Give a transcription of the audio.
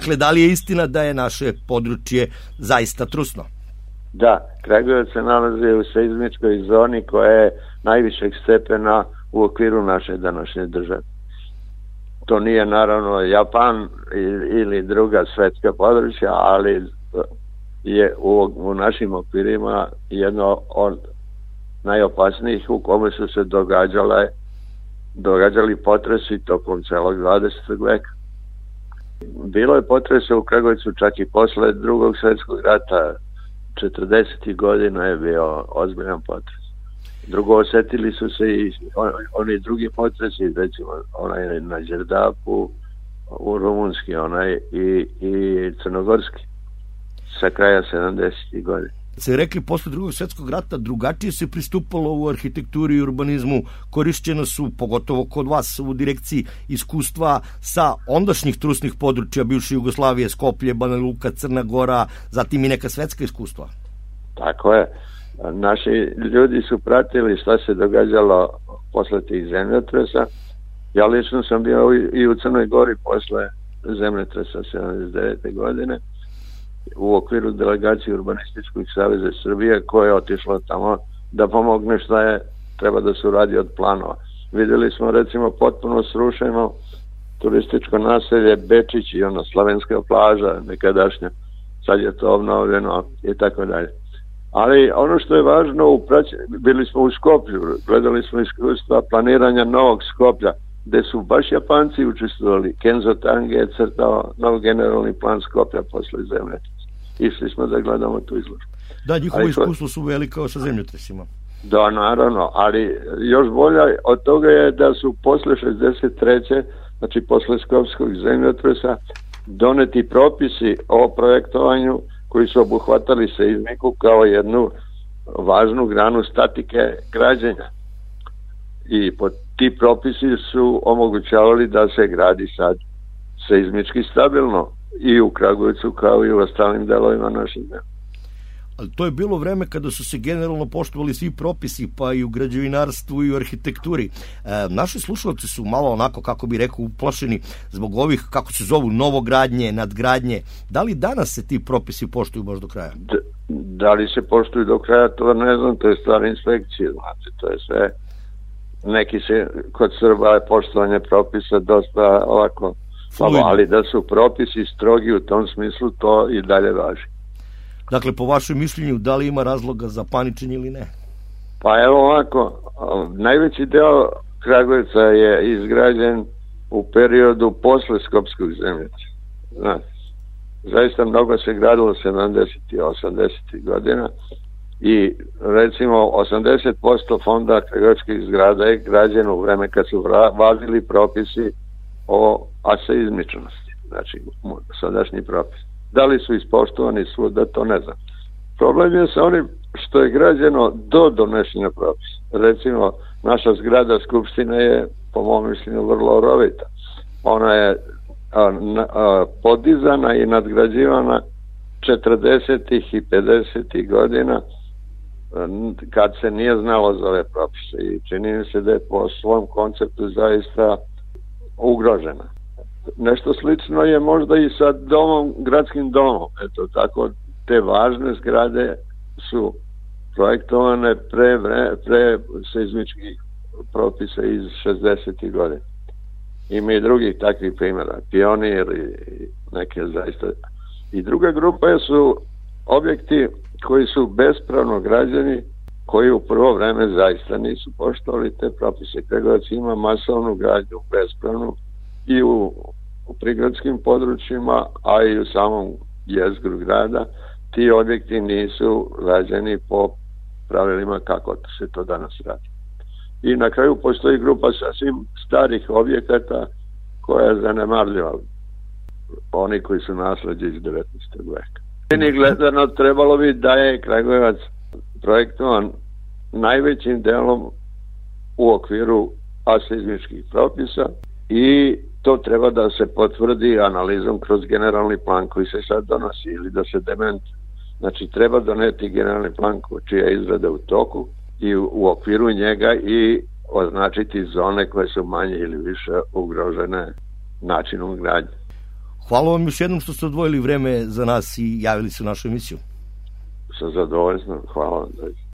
Dakle, da li je istina da je naše područje zaista trusno? Da, Kragujevac se nalazi u seizmičkoj zoni koja je najvišeg stepena u okviru naše današnje države. To nije naravno Japan ili druga svetska područja, ali je u našim okvirima jedno od najopasnijih u kome su se događali potresi tokom celog 20. veka. Bilo je potresa u Kragujevcu čak i posle Drugog svjetskog rata. 40. godina je bio ozbiljan potres. Drugo, osetili su se i oni drugi potresi, recimo onaj na Đerdapu, u Rumunski onaj i Crnogorski sa kraja 70. godina. Se rekli, posle Drugog svjetskog rata drugačije se pristupalo u arhitekturi i urbanizmu, korišćeno su, pogotovo kod vas u direkciji, iskustva sa ondašnjih trusnih područja bivše Jugoslavije, Skoplje, Banja Luka, Crna Gora, zatim i neka svetska iskustva. Tako je. Naši ljudi su pratili šta se događalo posle tih zemljotresa. Ja lično sam bio i u Crnoj Gori posle zemljotresa 79. godine u okviru delegacije Urbanističkog saveza Srbije koja je otišla tamo da pomogne šta je treba da se uradi od planova. Videli smo recimo potpuno srušeno turističko naselje Bečić i ona slavenska plaža nekadašnja, sad je to obnovljeno i tako dalje. Ali ono što je važno, bili smo u Skoplju, gledali smo iskustva planiranja novog Skoplja, gde su baš Japanci učestvovali. Kenzo Tange je crtao nov generalni plan Skoplja posle zemljotresa. Išli smo da gledamo tu izložbu. Da, njihovo iskustvo su velika sa zemljotresima. Da, naravno, ali još bolje od toga je da su posle 63. znači posle Skopskog zemljotresa doneti propisi o projektovanju koji su obuhvatali seizmiku kao jednu važnu granu statike građenja. I ti propisi su omogućavali da se gradi sad seizmički stabilno i u Kragujevcu kao i u ostalim delovima naših zemlje. Ali to je bilo vreme kada su se generalno poštovali svi propisi, pa i u građevinarstvu i u arhitekturi. Naši slušalci su malo onako, kako bi rekao, uplašeni zbog ovih, kako se zovu, novogradnje, nadgradnje. Da li danas se ti propisi poštuju baš do kraja? Da li se poštuju do kraja, to ne znam, to je stvar inspekcije, znači, to je sve. Neki se, kod Srba je poštovanje propisa dosta ovako, ali da su propisi strogi u tom smislu, to i dalje važi. Dakle, po vašem mišljenju, da li ima razloga za paničenje ili ne? Pa evo ovako, najveći deo Kragujevca je izgrađen u periodu posle Skopskog zemljotresa. Znači, zaista mnogo se gradilo 70. i 80. godina i recimo 80% fonda kragujevačkih zgrada je građeno u vreme kad su važili propisi o aseizmičnosti, znači sadašnji propis. Da li su ispoštovani svuda, to ne znam. Problem je sa onim što je građeno do donošenja propisa. Recimo, naša zgrada Skupštine je, po mom mišljenju, vrlo rovita. Ona je podizana i nadgrađivana 40. i 50. godina kad se nije znalo za ove propise i čini mi se da je po svom konceptu zaista ugrožena. Nešto slično je možda i sa gradskim domom. Eto, tako te važne zgrade su projektovane pre seizmičkih propisa iz 60. godina. Ima i drugih takvih primjera, Pionir i neke zaista. I druga grupa su objekti koji su bespravno građeni, koji u prvo vreme zaista nisu poštovali te propise. Kragujevac ima masovnu gradnju bespravnu i u prigradskim područjima, a i u samom jezgru grada. Ti objekti nisu rađeni po pravilima kako se to danas radi. I na kraju postoji grupa sasvim starih objekata koja je zanemarljiva. Oni koji su nasleđe iz 19. veka. Meni gledano trebalo bi da je Kragujevac projektovan najvećim delom u okviru aseizmičkih propisa i to treba da se potvrdi analizom kroz generalni plan koji se sad donosi ili da se dementi. Znači treba doneti generalni plan čija je izrada u toku i u okviru njega i označiti zone koje su manje ili više ugrožene načinom gradnje. Hvala vam još jednom što ste odvojili vreme za nas i javili se u našu emisiju. Sa zadovoljstvom, hvala vam.